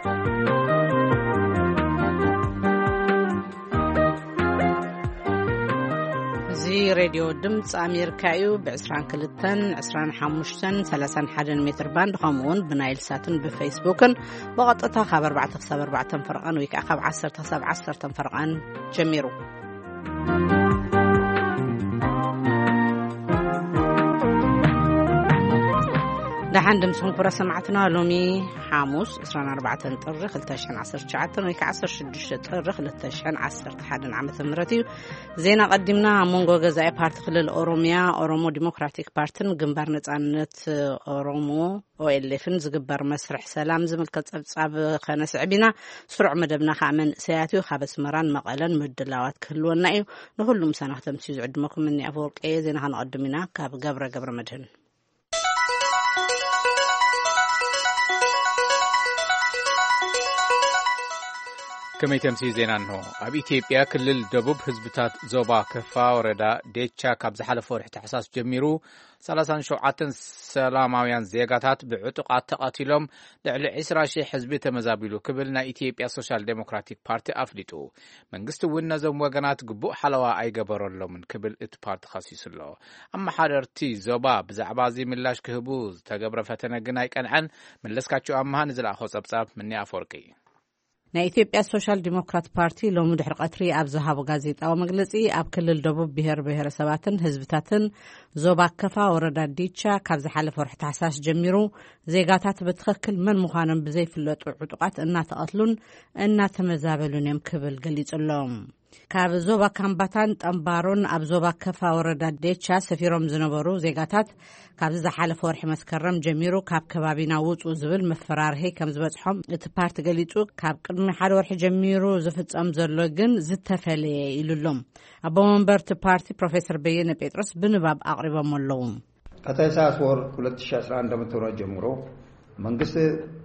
እዚ ሬድዮ ድምፂ ኣሜሪካ እዩ። ብ22፣ 25፣ 31 ሜትር ባንድ፣ ከምኡ እውን ብናይል ሳትን ብፌስቡክን ብቐጥታ ካብ ኣርባዕተ ክሳብ ኣርባዕተ ፈረቓን ወይ ከዓ ካብ ዓሰርተ ክሳብ ዓሰርተ ፈረቓን ጀሚሩ። ደሓን ድምፅኹም ክብረ ሰማዕትና፣ ሎሚ ሓሙስ 24 ጥሪ 2019 ወይ ከዓ 16 ጥሪ 2011 ዓመተ ምህረት እዩ። ዜና ቀዲምና። ኣብ መንጎ ገዛኢ ፓርቲ ክልል ኦሮሚያ፣ ኦሮሞ ዲሞክራቲክ ፓርቲን ግንባር ነጻነት ኦሮሞ፣ ኦኤልኤፍን ዝግበር መስርሕ ሰላም ዝምልከት ጸብጻብ ከነስዕብ ኢና። ስሩዕ መደብና ከዓ መንእሰያት እዩ። ካብ ኣስመራን መቐለን ምድላዋት ክህልወና እዩ። ንኹሉ ምሳና ክተምስዩ ዝዕድመኩም እኒ ኣፈወርቂ እየ። ዜና ከነቐድም ኢና። ካብ ገብረ ገብረ መድህን። ከመይ ተምስዩ ዜና እንሆ። ኣብ ኢትዮጵያ ክልል ደቡብ ህዝብታት ዞባ ከፋ ወረዳ ዴቻ ካብ ዝሓለፈ ወርሒ ታሕሳስ ጀሚሩ 37 ሰላማውያን ዜጋታት ብዕጡቓት ተቐቲሎም፣ ልዕሊ 20,000 ህዝቢ ተመዛቢሉ ክብል ናይ ኢትዮጵያ ሶሻል ዴሞክራቲክ ፓርቲ ኣፍሊጡ። መንግስቲ እውን ነዞም ወገናት ግቡእ ሓለዋ ኣይገበረሎምን ክብል እቲ ፓርቲ ከሲሱ ኣሎ። ኣመሓደርቲ ዞባ ብዛዕባ እዚ ምላሽ ክህቡ ዝተገብረ ፈተነ ግን ኣይቀንዐን። መለስካቸው ኣምሃ ንዝለኣኾ ጸብጻብ ምኒ ኣፈወርቂ። ናይ ኢትዮጵያ ሶሻል ዲሞክራት ፓርቲ ሎሚ ድሕሪ ቀትሪ ኣብ ዝሃቦ ጋዜጣዊ መግለጺ፣ ኣብ ክልል ደቡብ ብሔር ብሔረሰባትን ህዝብታትን ዞባ ከፋ ወረዳ ዲቻ ካብ ዝሓለፈ ወርሒ ታሕሳስ ጀሚሩ ዜጋታት ብትኽክል መን ምዃኖም ብዘይፍለጡ ዕጡቓት እናተቐትሉን እናተመዛበሉን እዮም ክብል ገሊጹ ኣሎ። ካብ ዞባ ካምባታን ጠምባሮን ኣብ ዞባ ከፋ ወረዳ ዴቻ ሰፊሮም ዝነበሩ ዜጋታት ካብዚ ዝሓለፈ ወርሒ መስከረም ጀሚሩ ካብ ከባቢና ውጹ ዝብል መፈራርሂ ከም ዝበጽሖም እቲ ፓርቲ ገሊጹ። ካብ ቅድሚ ሓደ ወርሒ ጀሚሩ ዝፍጸም ዘሎ ግን ዝተፈለየ ኢሉ ኣሎ። ኣቦ መንበር እቲ ፓርቲ ፕሮፌሰር በየነ ጴጥሮስ ብንባብ ኣቕሪቦም ኣለዉ። ከታህሳስ ወር 2011 ዓ.ም ጀምሮ መንግስት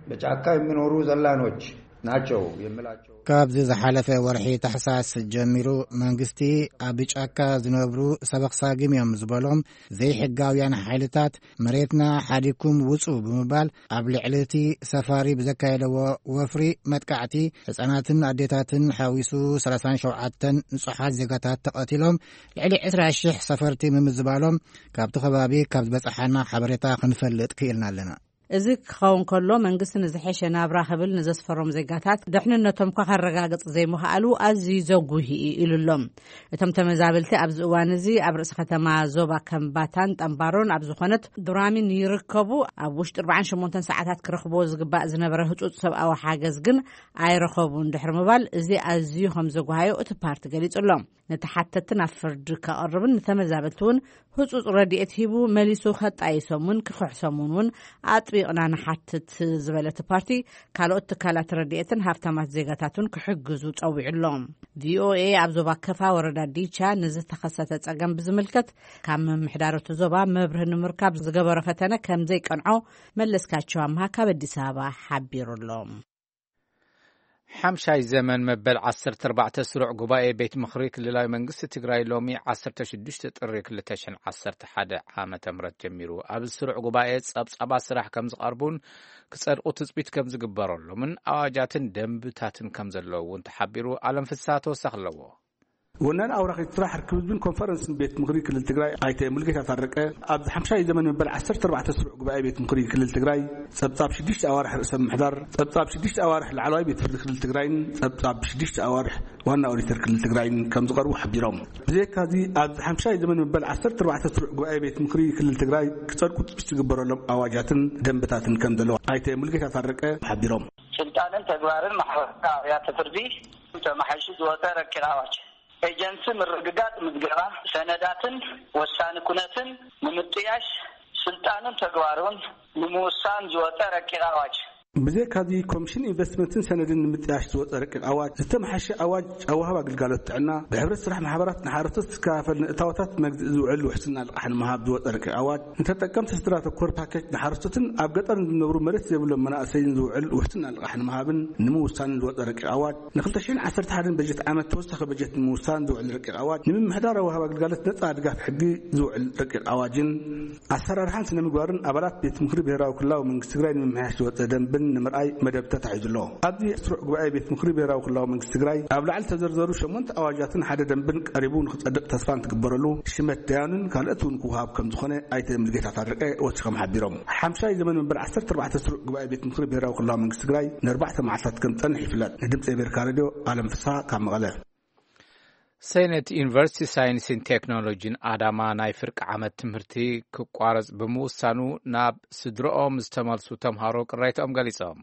በጫካ የሚኖሩ ዘላኖች ናቸው የሚላቸው ካብዚ ዝሓለፈ ወርሒ ታሕሳስ ጀሚሩ መንግስቲ ኣብ ጫካ ዝነብሩ ሰበኽ ሳግም እዮም ዝበሎም ዘይሕጋውያን ሓይልታት መሬትና ሓዲኩም ውጹ ብምባል ኣብ ልዕሊ እቲ ሰፋሪ ብዘካየደዎ ወፍሪ መጥቃዕቲ ህጻናትን ኣዴታትን ሓዊሱ 37 ንጹሓት ዜጋታት ተቐቲሎም፣ ልዕሊ 20,000 ሰፈርቲ ምምዝባሎም ካብቲ ከባቢ ካብ ዝበጽሓና ሓበሬታ ክንፈልጥ ክኢልና ኣለና። እዚ ክኸውን ከሎ መንግስቲ ንዝሐሸ ናብራ ክብል ንዘስፈሮም ዜጋታት ደሕንነቶም እኳ ከረጋግጽ ዘይምኽኣሉ ኣዝዩ ዘጉሂ እዩ ኢሉ ኣሎ። እቶም ተመዛበልቲ ኣብዚ እዋን እዚ ኣብ ርእሲ ከተማ ዞባ ከምባታን ጠምባሮን ኣብ ዝኾነት ዱራሚን ይርከቡ። ኣብ ውሽጢ 48 ሰዓታት ክረኽብዎ ዝግባእ ዝነበረ ህጹጽ ሰብኣዊ ሓገዝ ግን ኣይረኸቡን ድሕሪ ምባል እዚ ኣዝዩ ከም ዘጉሃዮ እቲ ፓርቲ ገሊጹ ኣሎ። ነተሓተትቲ ናብ ፍርዲ ከቕርብን ንተመዛበልቲ እውን ህጹጽ ረድኤት ሂቡ መሊሱ ከጣይሶምን ክኽሕሶምን እውን ኣጥቢቕና ንሓትት ዝበለ እቲ ፓርቲ፣ ካልኦት ትካላት ረድኤትን ሃብታማት ዜጋታትን ክሕግዙ ጸዊዑ ኣሎ። ቪኦኤ ኣብ ዞባ ከፋ ወረዳ ዲቻ ንዝተኸሰተ ጸገም ብዝምልከት ካብ ምምሕዳር እቲ ዞባ መብርሂ ንምርካብ ዝገበሮ ፈተነ ከም ዘይቀንዖ መለስካቸው ኣምሃ ካብ ኣዲስ ኣበባ ሓቢሩ ኣሎ። ሓምሻይ ዘመን መበል 14 ስሩዕ ጉባኤ ቤት ምኽሪ ክልላዊ መንግስቲ ትግራይ ሎሚ 16 ጥሪ 2011 ዓመተ ምህረት ጀሚሩ። ኣብዚ ስሩዕ ጉባኤ ጸብጻባት ስራሕ ከም ዝቐርቡን ክጸድቑ ትጽቢት ከም ዝግበረሎምን ኣዋጃትን ደንብታትን ከም ዘለዉ እውን ተሓቢሩ። ኣለም ፍስሃ ተወሳኺ ኣለዎ። ወናን ኣውራኺት ስራሕ ርክብ ህዝብን ኮንፈረንስን ቤት ምኽሪ ክልል ትግራይ ኣይተ ሙሉጌታ ታረቀ፣ ኣብዚ ሓምሻይ ዘመን መበል 14 ስሩዕ ጉባኤ ቤት ምኽሪ ክልል ትግራይ ጸብጻብ ሽዱሽተ ኣዋርሕ ርእሰ ምምሕዳር፣ ጸብጻብ ሽዱሽተ ኣዋርሕ ላዕለዋይ ቤት ፍርዲ ክልል ትግራይን ጸብጻብ ሽዱሽተ ኣዋርሕ ዋና ኦዲተር ክልል ትግራይን ከም ዝቐርቡ ሓቢሮም። ብዘይካዚ ኣብዚ ሓምሻይ ዘመን መበል 14 ስሩዕ ጉባኤ ቤት ምኽሪ ክልል ትግራይ ክጸድቁ ትጽቢት ዝግበረሎም ኣዋጃትን ደንብታትን ከም ዘለዉ ኣይተ ሙሉጌታ ታረቀ ሓቢሮም። ስልጣንን ተግባርን ማሕበራዊ ኣብያተ ፍርዲ ተመሓይሹ ዝወፀ ረቂቕ ኣዋጅ፣ ኤጀንሲ ምርግጋፅ ምዝገባ ሰነዳትን ወሳኒ ኩነትን ንምጥያሽ ስልጣኑን ተግባሩን ንምውሳን ዝወፀ ረቂቕ ኣዋጅ። ብዘይካዚ ኮሚሽን ኢንቨስትመንትን ሰነድን ንምጥያሽ ዝወፀ ረቂቕ ኣዋጅ፣ ዝተመሓሸ ኣዋጅ ኣዋሃብ ኣገልጋሎት ጥዕና፣ ብሕብረት ስራሕ ማሕበራት ንሓረስቶት ዝከፋፈል ንእታወታት መግዝኢ ዝውዕል ውሕስና ልቓሕ ንምሃብ ዝወፀ ረቂቕ ኣዋጅ፣ ንተጠቀምቲ ስድራ ተኮር ፓኬጅ ንሓረስቶትን ኣብ ገጠር ንዝነብሩ መሬት ዘይብሎም መናእሰይን ዝውዕል ውሕስና ልቓሕ ንምሃብን ንምውሳንን ዝወፀ ረቂቕ ኣዋጅ፣ ን2011 በጀት ዓመት ተወሳኺ በጀት ንምውሳን ዝውዕል ረቂቕ ኣዋጅ፣ ንምምሕዳር ኣዋሃብ ኣገልጋሎት ነፃ ድጋፍ ሕጊ ዝውዕል ረቂቕ ኣዋጅን ኣሰራርሓን ስነ ምግባርን ኣባላት ቤት ምኽሪ ብሄራዊ ክልላዊ መንግስቲ ትግራይ ንምምሕያሽ ዝወፀ ደንብን ንምርኣይ መደብ ተታሒዙ ኣሎ። ኣብዚ ስሩዕ ጉባኤ ቤት ምኽሪ ብሄራዊ ክልላዊ መንግስቲ ትግራይ ኣብ ላዕሊ ዝተዘርዘሩ ሸሞንተ ኣዋጃትን ሓደ ደንብን ቀሪቡ ንክጸድቕ ተስፋ እንትግበረሉ፣ ሽመት ደያኑን ካልኦት እውን ክወሃብ ከም ዝኾነ ኣይተ ሙሉጌታ ታረቀ ወሲኾም ሓቢሮም። ሓምሻይ ዘመን መንበር ዓሰርተ ኣርባዕተ ስሩዕ ጉባኤ ቤት ምኽሪ ብሄራዊ ክልላዊ መንግስቲ ትግራይ ንኣርባዕተ መዓልታት ከም ዝጸንሕ ይፍለጥ። ንድምፂ ኣሜሪካ ሬድዮ ኣለም ፍስሓ ካብ መቐለ። ሴኔት ዩኒቨርሲቲ ሳይንስን ቴክኖሎጂን ኣዳማ ናይ ፍርቂ ዓመት ትምህርቲ ክቋረጽ ብምውሳኑ፣ ናብ ስድረኦም ዝተመልሱ ተምሃሮ ቅሬታኦም ገሊጾም።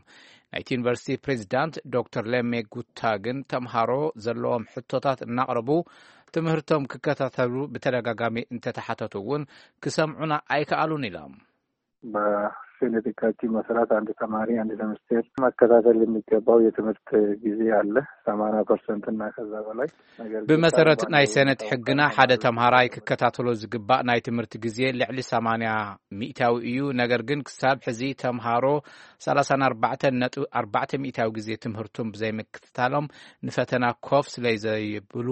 ናይቲ ዩኒቨርሲቲ ፕሬዚዳንት ዶክተር ለሜ ጉታ ግን፣ ተምሃሮ ዘለዎም ሕቶታት እናቕረቡ ትምህርቶም ክከታተሉ ብተደጋጋሚ እንተተሓተቱ እውን ክሰምዑና ኣይከኣሉን ኢሎም። በሴኔት ሕጋችን መሰረት አንድ ተማሪ አንድ ሴሚስተር መከታተል የሚገባው የትምህርት ጊዜ አለ፣ ሰማንያ ፐርሰንት እና ከዛ በላይ። ነገር ግን ብመሰረት ባለው ናይ ሰነት ሕግና ሓደ ተማሪ ተምሃራይ ክከታተሎ ዝግባእ ናይ ትምህርቲ ግዜ ልዕሊ ሰማንያ ሚእታዊ እዩ። ነገር ግን ክሳብ ሕዚ ተምሃሮ ሰላሳን ኣርባዕተን ነጥቢ ኣርባዕተ ሚእታዊ ግዜ ትምህርቱን ብዘይምክትታሎም ንፈተና ኮፍ ስለ ዘይብሉ፣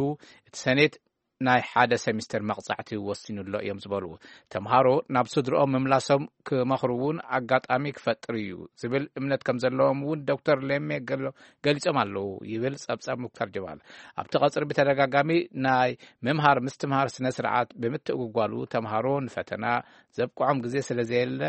እቲ ሰኔት ናይ ሓደ ሰሚስተር መቕጻዕቲ ወሲኑሎ እዮም ዝበሉ ተምሃሮ ናብ ስድርኦም ምምላሶም ክመኽሩ እውን ኣጋጣሚ ክፈጥር እዩ ዝብል እምነት ከም ዘለዎም እውን ዶክተር ሌሜ ገሎ-፣ ገሊጾም ኣለዉ ይብል ጸብጻብ ሙክታር ጀማል። ኣብቲ ቀጽሪ ብተደጋጋሚ ናይ ምምሃር ምስትምሃር ስነ ስርዓት ብምትእጉጓሉ፣ ተምሃሮ ንፈተና ዘብቅዖም ግዜ ስለ ዘየለ፣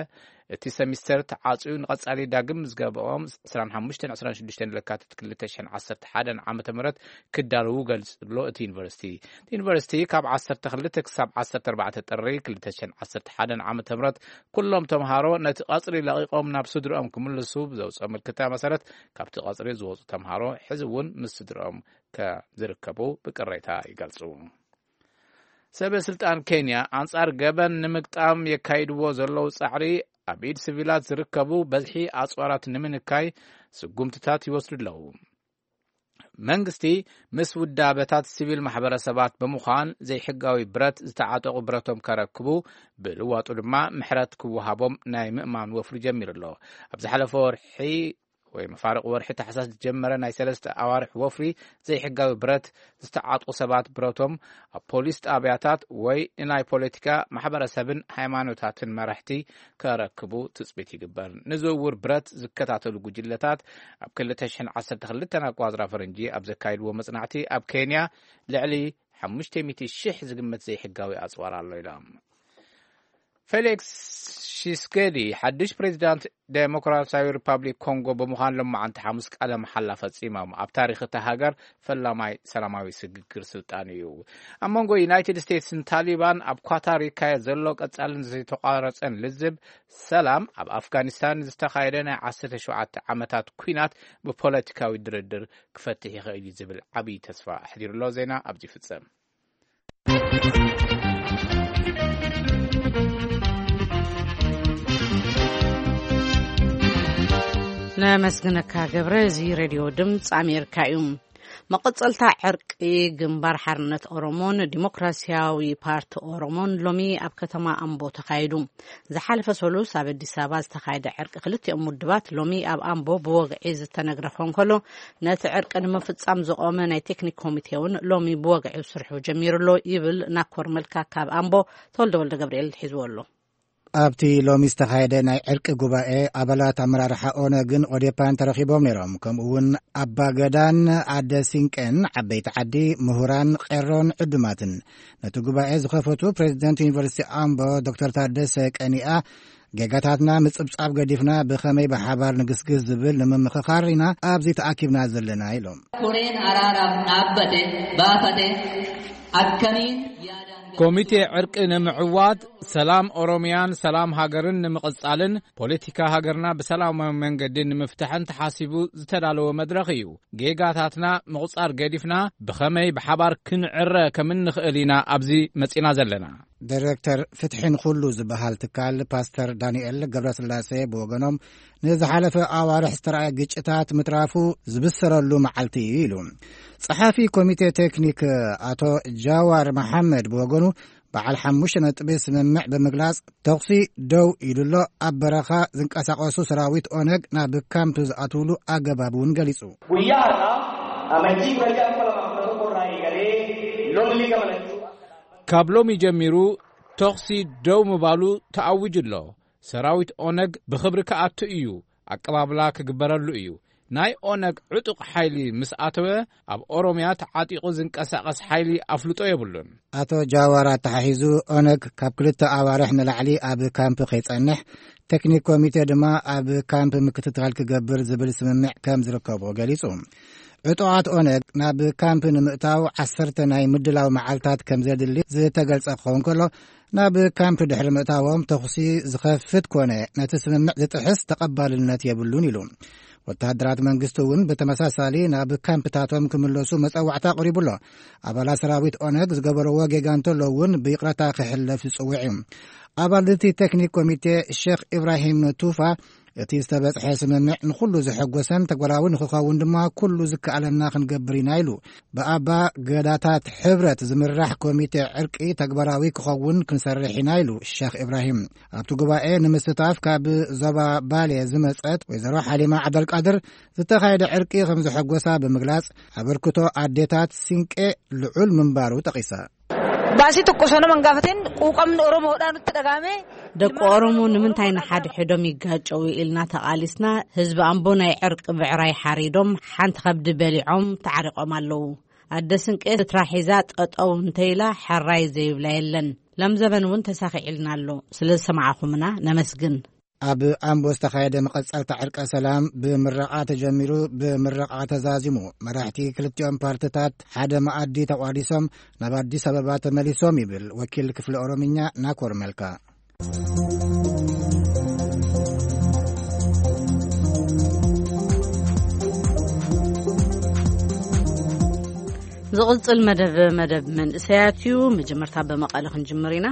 እቲ ሰሚስተር ተዓጽዩ ንቐጻሊ ዳግም ምዝገባኦም ዕስራን ሓሙሽተን ዕስራን ሽዱሽተን ለካቲት ክልተ ሽሕን ዓሰርተ ሓደን ዓመተ ምህረት ክዳለዉ ገልጹ ኣሎ እቲ ዩኒቨርሲቲ። እቲ ዩኒቨርሲቲ ካብ ዓሰርተ ክልተ ክሳብ ዓሰርተ ኣርባዕተ ጥሪ ክልተ ሽሕን ዓሰርተ ሓደን ዓመተ ምህረት ኩሎም ተምሃሮ ነቲ ቀጽሪ ለቒቖም ናብ ስድርኦም ክምልሱ ብዘውጽኦ ምልክታ መሰረት፣ ካብቲ ቀጽሪ ዝወጹ ተምሃሮ ሕዚ እውን ምስ ስድርኦም ከም ዝርከቡ ብቅሬታ ይገልጹ። ሰበ ስልጣን ኬንያ ኣንጻር ገበን ንምግጣም የካይድዎ ዘለዉ ጻዕሪ፣ ኣብ ኢድ ሲቪላት ዝርከቡ በዝሒ ኣጽዋራት ንምንካይ ስጉምትታት ይወስዱ ኣለዉ። መንግስቲ ምስ ውዳበታት ሲቪል ማሕበረሰባት ብምዃን ዘይሕጋዊ ብረት ዝተዓጠቑ ብረቶም ከረክቡ ብልዋጡ ድማ ምሕረት ክወሃቦም ናይ ምእማን ወፍሪ ጀሚሩ ኣሎ። ኣብ ዝሓለፈ ወርሒ ወይ መፋርቕ ወርሒ ታሕሳስ ዝጀመረ ናይ ሰለስተ ኣዋርሕ ወፍሪ ዘይሕጋዊ ብረት ዝተዓጥቑ ሰባት ብረቶም ኣብ ፖሊስ ጣብያታት ወይ ንናይ ፖለቲካ ማሕበረሰብን ሃይማኖታትን መራሕቲ ከረክቡ ትጽቢት ይግበር። ንዝውውር ብረት ዝከታተሉ ጉጅለታት ኣብ ክልተ ሽሕን ዓሰርተ ክልተን ኣቋጽራ ፈረንጂ ኣብ ዘካይድዎ መጽናዕቲ፣ ኣብ ኬንያ ልዕሊ ሓሙሽተ ሚእቲ ሽሕ ዝግመት ዘይሕጋዊ ኣጽዋር ኣሎ ኢሎም። ፌሊክስ ሺስኬዲ ሓድሽ ፕሬዚዳንት ዴሞክራሲያዊ ሪፓብሊክ ኮንጎ ብምዃን ሎማዓንቲ ሓሙስ ቃለ መሓላ ፈጺሞም። ኣብ ታሪኽ እታ ሃገር ፈላማይ ሰላማዊ ስግግር ስልጣን እዩ። ኣብ መንጎ ዩናይትድ ስቴትስን ታሊባን ኣብ ኳታር ይካየድ ዘሎ ቀጻልን ዘይተቋረጸን ልዝብ ሰላም፣ ኣብ ኣፍጋኒስታን ዝተኻየደ ናይ ዓሰርተ ሸውዓተ ዓመታት ኲናት ብፖለቲካዊ ድርድር ክፈትሕ ይኽእል እዩ ዝብል ዓብዪ ተስፋ ኣሕዲሩ ኣሎ። ዜና ኣብዚ ይፍጸም። ነመስግነካ ገብረ። እዚ ሬድዮ ድምፂ ኣሜሪካ እዩ። መቐጸልታ ዕርቂ ግንባር ሓርነት ኦሮሞን ዲሞክራሲያዊ ፓርቲ ኦሮሞን ሎሚ ኣብ ከተማ ኣምቦ ተኻይዱ። ዝሓለፈ ሰሉስ ኣብ ኣዲስ ኣበባ ዝተኻየደ ዕርቂ ክልቲኦም ውድባት ሎሚ ኣብ ኣምቦ ብወግዒ ዝተነግረ ክኾን ከሎ፣ ነቲ ዕርቂ ንምፍጻም ዝቖመ ናይ ቴክኒክ ኮሚቴ እውን ሎሚ ብወግዒ ስርሑ ጀሚሩ ኣሎ ይብል ናኮር መልካ ካብ ኣምቦ። ተወልደ ወልደ ገብርኤል ሒዝዎ ኣሎ። ኣብቲ ሎሚ ዝተኻየደ ናይ ዕርቂ ጉባኤ፣ ኣባላት ኣመራርሓ ኦነግን ኦዴፓን ተረኺቦም ነይሮም። ከምኡ እውን ኣባ ገዳን ኣደ ሲንቄን፣ ዓበይቲ ዓዲ፣ ምሁራን፣ ቄሮን ዕዱማትን። ነቲ ጉባኤ ዝኸፈቱ ፕሬዚደንት ዩኒቨርሲቲ ኣምቦ ዶክተር ታደሰ ቀኒኣ፣ ጌጋታትና ምጽብጻብ ገዲፍና ብኸመይ ብሓባር ንግስግስ ዝብል ንምምኽኻር ኢና ኣብዚ ተኣኪብና ዘለና ኢሎም። Koreen araaraaf dhaabbate baafate akkamiin yaadaan ኮሚቴ ዕርቂ ንምዕዋት፣ ሰላም ኦሮሚያን ሰላም ሃገርን ንምቕጻልን ፖለቲካ ሃገርና ብሰላማዊ መንገዲ ንምፍታሕን ተሓሲቡ ዝተዳለወ መድረኽ እዩ። ጌጋታትና ምቑጻር ገዲፍና ብኸመይ ብሓባር ክንዕረ ከም እንኽእል ኢና ኣብዚ መጺና ዘለና። ዳይሬክተር ፍትሒ ንኹሉ ዝበሃል ትካል ፓስተር ዳንኤል ገብረስላሴ ብወገኖም፣ ንዝሓለፈ ኣዋርሕ ዝተረኣየ ግጭታት ምትራፉ ዝብሰረሉ መዓልቲ እዩ ኢሉ። ጸሓፊ ኮሚቴ ቴክኒክ ኣቶ ጃዋር መሓመድ ብወገኑ፣ በዓል ሓሙሽተ ነጥቢ ስምምዕ ብምግላጽ፣ ተኹሲ ደው ኢሉ ኣሎ። ኣብ በረኻ ዝንቀሳቐሱ ሰራዊት ኦነግ ናብ ካምፕ ዝኣትውሉ ኣገባብ እውን ገሊጹ። Guyyaa har'aa, Amajjii kudha ja'a kuma lama kudha tokko irraa eegalee lolli gama lachuu ካብ ሎሚ ጀሚሩ ተኹሲ ደው ምባሉ ተኣዊጁ ኣሎ። ሰራዊት ኦነግ ብኽብሪ ክኣቱ እዩ። ኣቀባብላ ክግበረሉ እዩ። ናይ ኦነግ ዕጡቕ ሓይሊ ምስ ኣተወ፣ ኣብ ኦሮምያ ተዓጢቑ ዝንቀሳቐስ ሓይሊ ኣፍልጦ የብሉን። ኣቶ ጃዋር ኣተሓሒዙ፣ ኦነግ ካብ ክልተ ኣዋርሕ ንላዕሊ ኣብ ካምፕ ከይጸንሕ፣ ቴክኒክ ኮሚቴ ድማ ኣብ ካምፕ ምክትታል ክገብር ዝብል ስምምዕ ከም ዝርከቦ ገሊጹ። ዕጡቓት ኦነግ ናብ ካምፕ ንምእታው ዓሰርተ ናይ ምድላው መዓልታት ከም ዘድሊ ዝተገልጸ ክኸውን ከሎ፣ ናብ ካምፕ ድሕሪ ምእታዎም ተኹሲ ዝኸፍት ኮነ ነቲ ስምምዕ ዝጥሕስ ተቐባልነት የብሉን ኢሉ። ወተሃደራት መንግስቲ እውን ብተመሳሳሊ ናብ ካምፕታቶም ክምለሱ መጸዋዕታ ኣቕሪቡ ኣሎ። ኣባላት ሰራዊት ኦነግ ዝገበርዎ ጌጋ እንተሎ እውን ብይቕረታ ክሕለፍ ዝጽውዕ እዩ። ኣባል እቲ ቴክኒክ ኮሚቴ ሼክ ኢብራሂም ቱፋ፣ እቲ ዝተበጽሐ ስምምዕ ንኹሉ ዘሐጎሰን ተግባራዊ ንክኸውን ድማ ኩሉ ዝከኣለና ክንገብር ኢና ኢሉ። ብኣባ ገዳታት ሕብረት ዝምራሕ ኮሚቴ ዕርቂ ተግባራዊ ክኸውን ክንሰርሕ ኢና ኢሉ ሸኽ ኢብራሂም። ኣብቲ ጉባኤ ንምስታፍ ካብ ዞባ ባሌ ዝመጸት ወይዘሮ ሓሊማ ዓብደልቃድር፣ ዝተኻየደ ዕርቂ ከም ዘሐጎሳ ብምግላጽ፣ ኣበርክቶ ኣዴታት ሲንቄ ልዑል ምንባሩ ጠቒሳ። Baasii tokko osoo nama hin gaafatin quuqamni Oromoodhaa nutti dhagahame. ደቂ ኦሮሞ ንምንታይ ንሓድሕዶም ይጋጨው ኢልና ተቓሊስና፣ ህዝቢ ኣምቦ ናይ ዕርቂ ብዕራይ ሓሪዶም ሓንቲ ከብዲ በሊዖም ተዓሪቖም ኣለዉ። ኣደ ስንቄ ስድራ ሒዛ ጠጠው እንተኢላ ሕራይ ዘይብላ የለን። ሎም ዘበን እውን ተሳኺዕልና ኣሎ። ስለ ዝሰማዕኹምና ነመስግን። ኣብ ኣምቦ ዝተኻየደ መቐጸልታ ዕርቀ ሰላም ብምረቓ ተጀሚሩ፣ ብምረቓ ተዛዚሙ። መራሕቲ ክልቲኦም ፓርትታት ሓደ መኣዲ ተቋዲሶም ናብ ኣዲስ ኣበባ ተመሊሶም ይብል ወኪል ክፍሊ ኦሮምኛ ናኮር መልካ። ዝቕጽል መደብ መደብ መንእሰያት እዩ። መጀመርታ ብመቐለ ክንጅምር ኢና።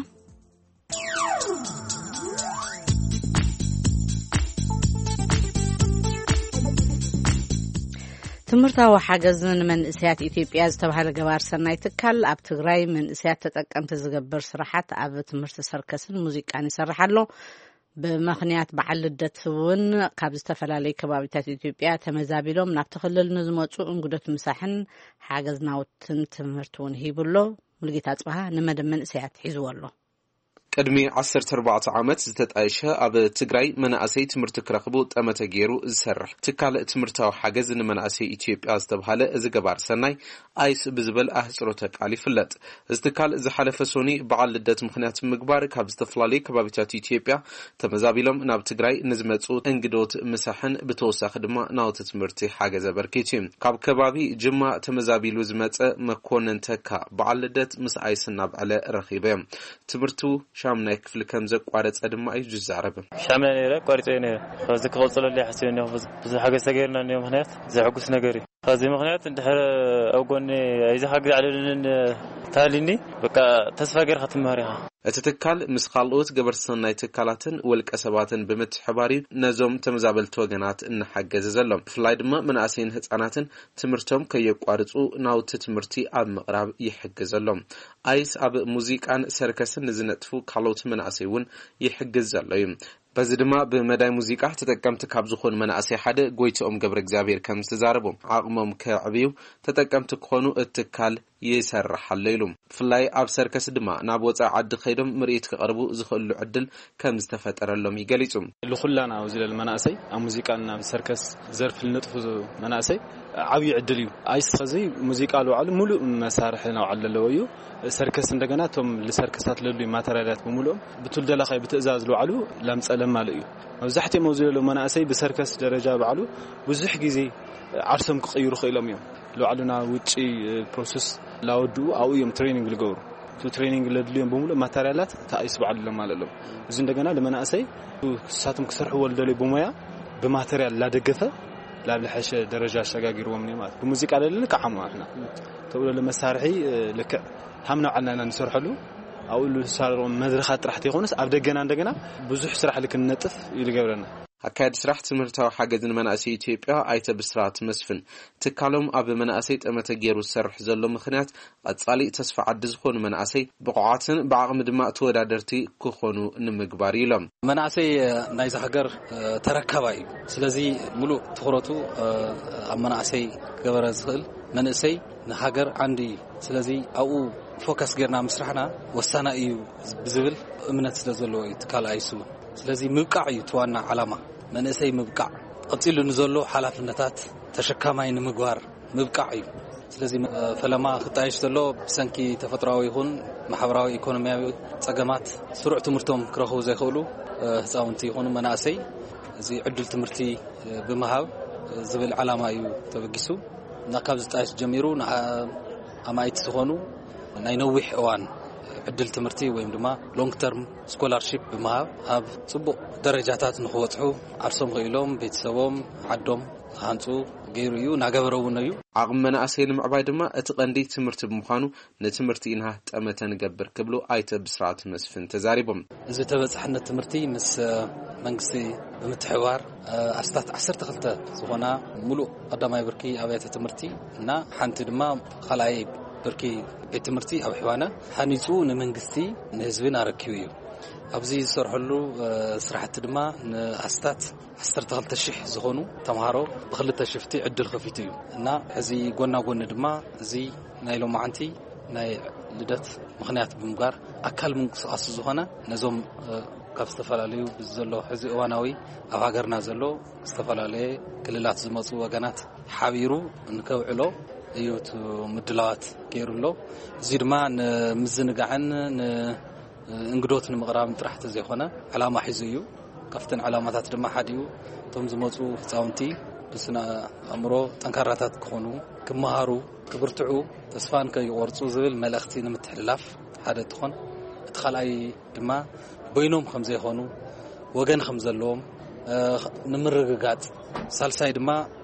ትምህርታዊ ሓገዝ ንመንእሰያት ኢትዮጵያ ዝተባህለ ገባር ሰናይ ትካል ኣብ ትግራይ መንእሰያት ተጠቀምቲ ዝገብር ስራሓት ኣብ ትምህርቲ ሰርከስን ሙዚቃን ይሰርሕ ኣሎ። ብምኽንያት በዓል ልደት እውን ካብ ዝተፈላለዩ ከባቢታት ኢትዮጵያ ተመዛቢሎም ናብቲ ክልል ንዝመፁ እንግዶት ምሳሕን ሓገዝ ናውትን ትምህርቲ እውን ሂቡ ኣሎ። ሙሉጌታ ኣፅበሃ ንመደብ መንእሰያት ሒዝዎ ኣሎ። ቅድሚ ዓሰርተ ኣርባዕተ ዓመት ዝተጣየሸ ኣብ ትግራይ መናእሰይ ትምህርቲ ክረኽቡ ጠመተ ገይሩ ዝሰርሕ ትካል ትምህርታዊ ሓገዝ ንመናእሰይ ኢትዮጵያ ዝተብሃለ እዚ ገባር ሰናይ ኣይስ ብዝብል ኣህፅሮተ ቃል ይፍለጥ። እዚ ትካል ዝሓለፈ ሶኒ በዓል ልደት ምኽንያት ምግባር ካብ ዝተፈላለዩ ከባቢታት ኢትዮጵያ ተመዛቢሎም ናብ ትግራይ ንዝመፁ እንግዶት ምሳሕን ብተወሳኺ ድማ ናውቲ ትምህርቲ ሓገዝ ኣበርኪት እዩ። ካብ ከባቢ ጅማ ተመዛቢሉ ዝመፀ መኮንን ተካ በዓል ልደት ምስ ኣይስ እናብዐለ ረኺበ። ትምህርቱ ሻምናይ ክፍሊ ከም ዘቋረጸ ድማ እዩ ዝዛረብ። ሻምናይ ነይረ፣ ኣቋሪጸዮ ነይረ። ሕዚ ክቕጽለሉ እየ ሓሲበ እኒኦ። ብዙ ሓገዝ ተገይርና እኒኦ፣ ምኽንያት ዘሐጉስ ነገር እዩ። በዚ ምኽንያት እንድሕር ኣብ ጎኒ ኣይዞኻ ግዜ ኣለሉንን ተሃልዩኒ፣ በቃ ተስፋ ገይርካ ትመሃር ኢኻ። እቲ ትካል ምስ ካልኦት ገበርቲ ሰናይ ትካላትን ውልቀ ሰባትን ብምትሕባር እዩ ነዞም ተመዛበልቲ ወገናት እናሓገዘ ዘሎ። ብፍላይ ድማ መናእሰይን ህጻናትን ትምህርቶም ከየቋርጹ ናውቲ ትምህርቲ ኣብ ምቕራብ ይሕግዝ ኣሎ። ኣይስ ኣብ ሙዚቃን ሰርከስን ንዝነጥፉ ካልኦት መናእሰይ እውን ይሕግዝ ዘሎ እዩ። በዚ ድማ ብመዳይ ሙዚቃ ተጠቀምቲ ካብ ዝኾኑ መናእሰይ ሓደ ጎይትኦም ገብረ እግዚኣብሔር ከም ዝተዛረቦም ዓቕሞም ከዕብዩ ተጠቀምቲ ክኾኑ እቲ ትካል ይሰርሕ ኣሎ ኢሉ። ብፍላይ ኣብ ሰርከስ ድማ ናብ ወፃኢ ዓዲ ከይዶም ምርኢት ክቐርቡ ዝኽእሉ ዕድል ከም ዝተፈጠረሎም ይገሊጹ። ልኹላና ኣብዚ ለል መናእሰይ ኣብ ሙዚቃን ኣብ ሰርከስ ዘርፍ ልነጥፉ መናእሰይ ዓብዪ ዕድል እዩ። ኣይስ ኸዚ ሙዚቃ ልውዓሉ ሙሉእ መሳርሒ ናውዓሉ ዘለዎ እዩ። ሰርከስ እንደገና እቶም ልሰርከሳት ለሉ ማተሪያላት ብምሉኦም ብቱል ደላኻይ ብትእዛዝ ልውዓሉ ላምፀ ለማሉ እዩ። መብዛሕትኦም ኣብዚ ለሎ መናእሰይ ብሰርከስ ደረጃ ባዕሉ ብዙሕ ግዜ ዓርሶም ክቕይሩ ክኢሎም እዮም። ልባዕሉ ናብ ውጪ ፕሮሰስ ላወድኡ ኣብኡ እዮም ትሬኒንግ ዝገብሩ። እቲ ትሬኒንግ ለድልዮም ብምሉእ ማተርያላት ተኣይስ ባዕሉ ለማለሎም። እዚ እንደገና ለመናእሰይ ክሳቶም ክሰርሕዎ ልደልዩ ብሞያ ብማተርያል ላደገፈ ላብ ለሐሸ ደረጃ ኣሸጋጊርዎም እዩ ማለት። ብሙዚቃ ለልንካዓሙ ኣሕና ተብሎ ለመሳርሒ ልክዕ ሃምና ዓልና ኢና ንሰርሐሉ። ኣብኡ ልሳረሮም መድረኻት ጥራሕ ተይኮነስ ኣብ ደገና እንደገና ብዙሕ ስራሕ ልክንነጥፍ እዩ ልገብረና። ኣካየዲ ስራሕ ትምህርታዊ ሓገዝ ንመናእሰይ ኢትዮጵያ ኣይተ ብስራት መስፍን ትካሎም ኣብ መናእሰይ ጠመተ ገይሩ ዝሰርሕ ዘሎ ምኽንያት ቀጻሊ ተስፋ ዓዲ ዝኾኑ መናእሰይ ብቑዓትን ብዓቕሚ ድማ ተወዳደርቲ ክኾኑ ንምግባር ኢሎም። መናእሰይ ናይዚ ሃገር ተረካባይ እዩ። ስለዚ ሙሉእ ትኹረቱ ኣብ መናእሰይ ክገበረ ዝኽእል መንእሰይ ንሃገር ዓንዲ እዩ። ስለዚ ኣብኡ ፎከስ ጌርና ምስራሕና ወሳናይ እዩ ብዝብል እምነት ስለ ዘለዎ እዩ ትካል ኣይሱ። ስለዚ ምብቃዕ እዩ እቲ ዋና ዓላማ፣ መንእሰይ ምብቃዕ። ቀጺሉ ንዘሎ ሓላፍነታት ተሸካማይ ንምግባር ምብቃዕ እዩ። ስለዚ ፈለማ ክጣየሽ ዘሎ ብሰንኪ ተፈጥሮኣዊ ይኹን ማሕበራዊ ኢኮኖሚያዊ ጸገማት ስሩዕ ትምህርቶም ክረኽቡ ዘይኽእሉ ህፃውንቲ ይኹኑ መናእሰይ እዚ ዕድል ትምህርቲ ብምሃብ ዝብል ዓላማ እዩ ተበጊሱ። እና ካብ ዝጣየሽ ጀሚሩ ንኣማይቲ ዝኾኑ ናይ ነዊሕ እዋን ዕድል ትምህርቲ ወይም ድማ long term scholarship ብምሃብ ኣብ ጽቡቕ ደረጃታት ንክበጽሑ ዓርሶም ክኢሎም ቤተሰቦም ዓዶም ክሃንፁ ገይሩ እዩ፣ እናገበረ እውን እዩ። ዓቕሚ መናእሰይ ንምዕባይ ድማ እቲ ቀንዲ ትምህርቲ ብምዃኑ ንትምህርቲ ኢና ጠመተ ንገብር ክብሉ ኣይተ ብስራት መስፍን ተዛሪቦም። እዚ ተበፃሕነት ትምህርቲ ምስ መንግስቲ ብምትሕባር ኣስታት ዓሰርተ ክልተ ዝኾና ሙሉእ ቀዳማይ ብርኪ ኣብያተ ትምህርቲ እና ሓንቲ ድማ ካልኣይ ብርኪ ቤት ትምህርቲ ኣብ ሕባና ሃኒፁ ንመንግስቲ ንህዝብን ኣረኪቡ እዩ። ኣብዚ ዝሰርሐሉ ስራሕቲ ድማ ንኣስታት ዓሰርተ ክልተ ሽሕ ዝኾኑ ተምሃሮ ብክልተ ሽፍቲ ዕድል ከፊቱ እዩ እና ሕዚ ጎና ጎኒ ድማ እዚ ናይ ሎማዓንቲ ናይ ልደት ምኽንያት ብምግባር ኣካል ምንቅስቃስ ዝኾነ ነዞም ካብ ዝተፈላለዩ ዘሎ ሕዚ እዋናዊ ኣብ ሃገርና ዘሎ ዝተፈላለየ ክልላት ዝመፁ ወገናት ሓቢሩ ንከውዕሎ እዩ እቲ ምድላዋት ገይሩ ኣሎ። እዚ ድማ ንምዝንጋዕን እንግዶት ንምቕራብ ጥራሕ ተዘይኮነ ዕላማ ሒዙ እዩ። ካብተን ዕላማታት ድማ ሓዲኡ እቶም ዝመፁ ህፃውንቲ ብስነ ኣእምሮ ጠንካራታት ክኾኑ፣ ክመሃሩ፣ ክብርትዑ፣ ተስፋን ከይቆርፁ ዝብል መልእኽቲ ንምትሕልላፍ ሓደ እንትኾን፣ እቲ ካልኣይ ድማ በይኖም ከም ዘይኾኑ፣ ወገን ከም ዘለዎም ንምርግጋፅ፣ ሳልሳይ ድማ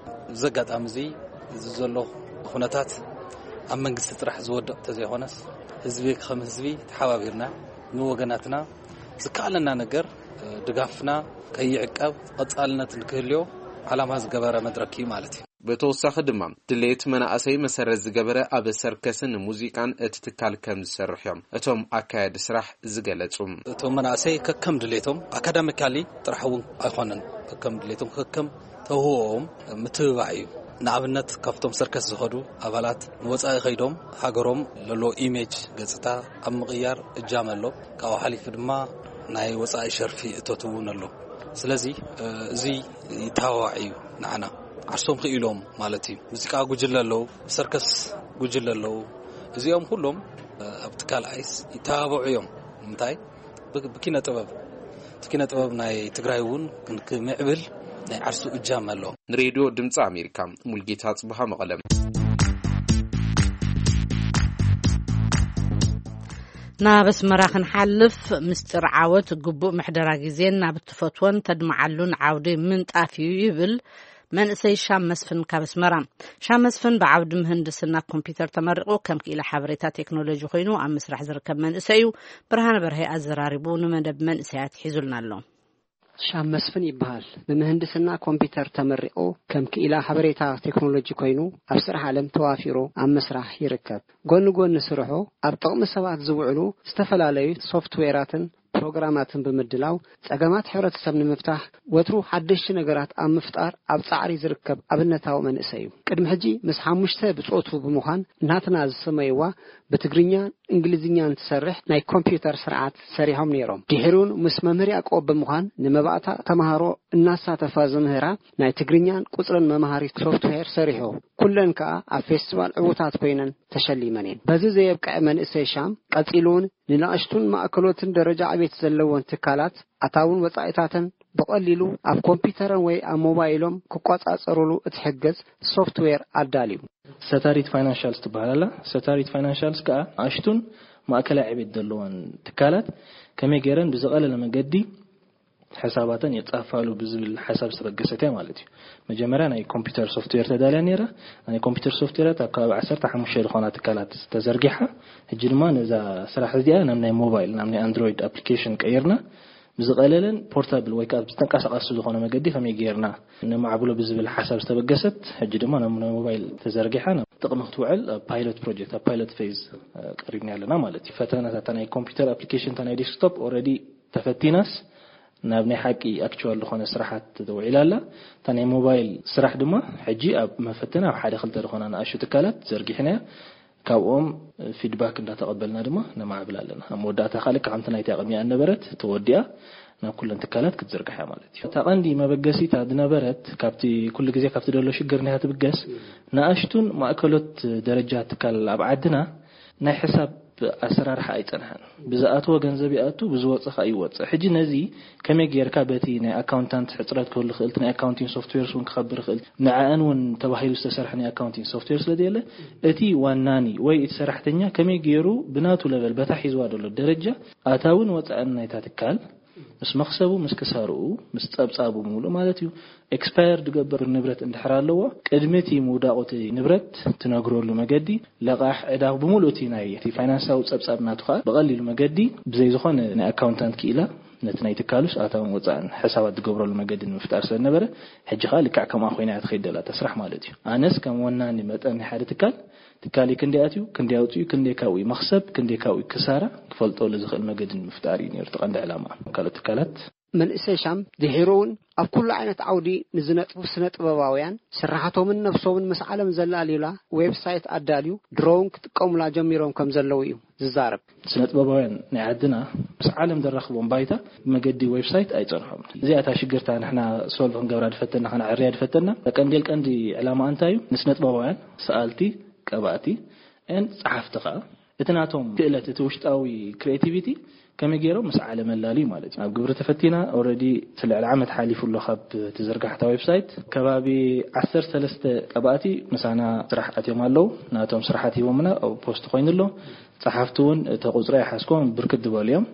እዚ ኣጋጣሚ እዚ እዚ ዘሎ ኩነታት ኣብ መንግስቲ ጥራሕ ዝወድቕ ተዘይኮነስ ህዝቢ ከም ህዝቢ ተሓባቢርና ንወገናትና ዝከኣለና ነገር ድጋፍና ከይዕቀብ ቀፃልነት ንክህልዮ ዓላማ ዝገበረ መድረክ እዩ ማለት እዩ። ብተወሳኺ ድማ ድሌት መናእሰይ መሰረት ዝገበረ ኣብ ሰርከስን ሙዚቃን እቲ ትካል ከም ዝሰርሕ እዮም እቶም ኣካየዲ ስራሕ ዝገለጹ። እቶም መናእሰይ ከከም ድሌቶም ኣካዳሚካሊ ጥራሕ እውን ኣይኮነን፣ ከከም ድሌቶም ከከም ተውህቦኦም ምትብባዕ እዩ። ንኣብነት ካብቶም ሰርከስ ዝኸዱ ኣባላት ንወፃኢ ከይዶም ሃገሮም ለሎ ኢሜጅ ገፅታ ኣብ ምቕያር እጃም ኣሎ። ካብኡ ሓሊፉ ድማ ናይ ወፃኢ ሸርፊ እቶት እውን ኣሎ። ስለዚ እዚ ይተባባዕ እዩ ንዓና ዓርሶም ክኢሎም ማለት እዩ። ሙዚቃ ጉጅለ ኣለዉ፣ ሰርከስ ጉጅለ ኣለዉ። እዚኦም ኩሎም ኣብ ትካል ኣይስ ይተባብዑ እዮም። ንምንታይ ብኪነ ጥበብ እቲ ኪነ ጥበብ ናይ ትግራይ እውን ክምዕብል ናይ ዓርሱ እጃም ኣሎ። ንሬድዮ ድምፂ ኣሜሪካ ሙልጌታ ጽብሃ መቐለም። ናብ ኣስመራ ክንሓልፍ ምስጢር ዓወት ግቡእ ምሕደራ ግዜን ናብ እትፈትወን ተድምዓሉን ዓውዲ ምንጣፍ እዩ ይብል መንእሰይ ሻም መስፍን ካብ ኣስመራ። ሻም መስፍን ብዓውዲ ምህንድስና ኮምፒውተር ተመሪቑ ከም ክኢላ ሓበሬታ ቴክኖሎጂ ኮይኑ ኣብ ምስራሕ ዝርከብ መንእሰይ እዩ። ብርሃነ በርሀ ኣዘራሪቡ ንመደብ መንእሰያት ሒዙልና ኣሎ። ሻም መስፍን ይበሃል። ብምህንድስና ኮምፒውተር ተመሪቑ ከም ክኢላ ሓበሬታ ቴክኖሎጂ ኮይኑ ኣብ ስራሕ ዓለም ተዋፊሩ ኣብ ምስራሕ ይርከብ። ጎኒ ጎኒ ስርሑ ኣብ ጥቕሚ ሰባት ዝውዕሉ ዝተፈላለዩ ሶፍትዌራትን ፕሮግራማትን ብምድላው ጸገማት ሕብረተሰብ ንምፍታሕ ወትሩ ሓደሽቲ ነገራት ኣብ ምፍጣር ኣብ ጻዕሪ ዝርከብ ኣብነታዊ መንእሰይ እዩ። ቅድሚ ሕጂ ምስ ሓሙሽተ ብጾቱ ብምዃን ናትና ዝሰመይዋ ብትግርኛን እንግሊዝኛን ትሰርሕ ናይ ኮምፒውተር ስርዓት ሰሪሖም ነይሮም። ድሒሩን ምስ መምህር ያዕቆብ ብምዃን ንመባእታ ተምሃሮ እናሳተፋ ዝምህራ ናይ ትግርኛን ቁጽርን መምሃሪ ሶፍትዌር ሰሪሑ። ኩለን ከኣ ኣብ ፌስቲቫል ዕዉታት ኮይነን ተሸሊመን እየን። በዚ ዘየብቅዐ መንእሰይ ሻም ቀጺሉ እውን ንንኣሽቱን ማእከሎትን ደረጃ ዕቤት ዘለወን ትካላት ኣታውን ወጻኢታተን ብቐሊሉ ኣብ ኮምፒውተረን ወይ ኣብ ሞባይሎም ክቆጻጸሩሉ እትሕግዝ ሶፍትዌር ኣዳልዩ። ሰታሪት ፋይናንሻልስ ትበሃል ኣላ። ሰታሪት ፋይናንሻልስ ከኣ ንኣሽቱን ማእከላይ ዕቤት ዘለወን ትካላት ከመይ ገይረን ብዝቐለለ መገዲ ሕሳባተን የጻፋሉ ብዝብል ሓሳብ ዝተበገሰት እያ ማለት እዩ። መጀመርያ ናይ ኮምፒውተር ሶፍትዌር ተዳልያ ነይራ። ናይ ኮምፒውተር ሶፍትዌራት ኣብ ከባቢ ዓሰርተ ሓሙሽተ ዝኾና ትካላት ተዘርጊሓ። ሕጂ ድማ ነዛ ስራሕ እዚኣ ናብ ናይ ሞባይል፣ ናብ ናይ ኣንድሮይድ ኣፕሊኬሽን ቀይርና ብዝቐለለን ፖርታብል ወይ ከዓ ብዝተንቀሳቐሲ ዝኾነ መገዲ ከመይ ገይርና ነማዕብሎ ብዝብል ሓሳብ ዝተበገሰት፣ ሕጂ ድማ ናብ ናይ ሞባይል ተዘርጊሓ ናብ ጥቕሚ ክትውዕል ኣብ ፓይለት ፕሮጀክት፣ ኣብ ፓይለት ፌዝ ቀሪብና ኣለና ማለት እዩ። ፈተነታት ናይ ኮምፒውተር ኣፕሊኬሽን፣ ናይ ዴስክቶፕ ኦልሬዲ ተፈቲናስ ናብ ናይ ሓቂ ኣክቹዋል ዝኾነ ስራሓት ተውዒላ ኣላ። እታ ናይ ሞባይል ስራሕ ድማ ሕጂ ኣብ መፈተኒ ኣብ ሓደ ክልተ ዝኾና ንኣሽቱ ትካላት ዘርጊሕናያ። ካብኦም ፊድባክ እንዳተቐበልና ድማ ነማዕብል ኣለና። ኣብ መወዳእታ ከዓ ልክዕ ከምቲ ናይቲ ኣቐሚኣ ነበረት ተወዲኣ ናብ ኩለን ትካላት ክትዝርጋሕ እያ ማለት እዩ። እታ ቀንዲ መበገሲታ ዝነበረት ካብቲ ኩሉ ግዜ ካብቲ ደሎ ሽግር እንዲያ ትብገስ፣ ንኣሽቱን ማእከሎት ደረጃ ትካል ኣብ ዓድና ናይ ሕሳብ ኣሰራርሓ ኣይጸንሐን። ብዝኣትዎ ገንዘብ ይኣቱ፣ ብዝወጽእ ከኣ ይወጽእ። ሕጂ ነዚ ከመይ ጌርካ በቲ ናይ ኣካውንታንት ሕጽረት ክህሉ ይኽእል፣ እቲ ናይ ኣካውንቲንግ ሶፍትዌርስ እውን ክኸብር ይኽእል፣ ንዕኣን እውን ተባሂሉ ዝተሰርሐ ናይ ኣካውንቲንግ ሶፍትዌር ስለ ዘየለ፣ እቲ ዋናኒ ወይ እቲ ሰራሕተኛ ከመይ ገይሩ ብናቱ ለቨል በታ ሒዝዋ ዘሎ ደረጃ ኣታውን ወጻእን ናይታ ትካል ምስ መኽሰቡ፣ ምስ ክሳርኡ፣ ምስ ጸብጻቡ ብምሉእ ማለት እዩ። ኤክስፓየር ዝገብር ንብረት እንድሕር ኣለዎ፣ ቅድሚ እቲ ምውዳቑ እቲ ንብረት ትነግረሉ መገዲ፣ ለቓሕ ዕዳ ብምሉእ እቲ ናይ እቲ ፋይናንሳዊ ጸብጻብ ናቱ ከኣ ብቐሊሉ መገዲ ብዘይ ዝኾነ ናይ ኣካውንታንት ክኢላ ነቲ ናይ ትካሉስ ኣታውን ወጻእን ሕሳባት ዝገብረሉ መገዲ ንምፍጣር ስለ ዝነበረ፣ ሕጂ ከኣ ልክዕ ከምኣ ኮይና እያ ትኸይድ ዘላ እታ ስራሕ ማለት እዩ። ኣነስ ከም ወናኒ መጠን ናይ ሓደ ትካል፣ ትካለይ ክንደይ ኣትዩ፣ ክንደይ ኣውጺኡ፣ ክንደይ ካብኡ መኽሰብ፣ ክንደይ ካብኡ ክሳራ ክፈልጠሉ ዝኽእል መገዲ ንምፍጣር እዩ ነይሩ እቲ ቀንዲ ዕላማ። ካልኦት ትካላት መንእሰይ ሻም ድሒሩ እውን ኣብ ኩሉ ዓይነት ዓውዲ ንዝነጥፉ ስነ ጥበባውያን ስራሓቶምን ነብሶምን ምስ ዓለም ዘላልዩላ ዌብሳይት ኣዳልዩ ድሮ እውን ክጥቀሙላ ጀሚሮም ከም ዘለዉ እዩ ዝዛረብ። ስነ ጥበባውያን ናይ ዓድና ምስ ዓለም ዘራኽቦም ባይታ ብመገዲ ዌብሳይት ኣይጸንሖም። እዚኣ እታ ሽግርታ ንሕና ሶልቭ ክንገብራ ዝፈተና፣ ከነዕርያ ዝፈተና ቀንዴል ቀንዲ ዕላማ እንታይ እዩ? ንስነ ጥበባውያን፣ ሰኣልቲ፣ ቀባእቲ፣ ን ጸሓፍቲ ከኣ እቲ ናቶም ክእለት፣ እቲ ውሽጣዊ ክሪኤቲቪቲ ከመይ ገይሮም ምስ ዓለም ኣላልዩ ማለት እዩ። ኣብ ግብሪ ተፈቲና ኦልሬዲ እቲ ልዕሊ ዓመት ሓሊፉ ኣሎ ካብ እቲ ዝርጋሕታ ዌብሳይት። ከባቢ ዓሰርተ ሰለስተ ቀባእቲ ምሳና ስራሕ ኣትዮም ኣለዉ። ናቶም ስራሓት ሂቦምና ኣብ ፖስት ኮይኑ ኣሎ። ጸሓፍቲ እውን እቲ ቁጽሪ ኣይሓዝኮም ብርክት ዝበሉ እዮም።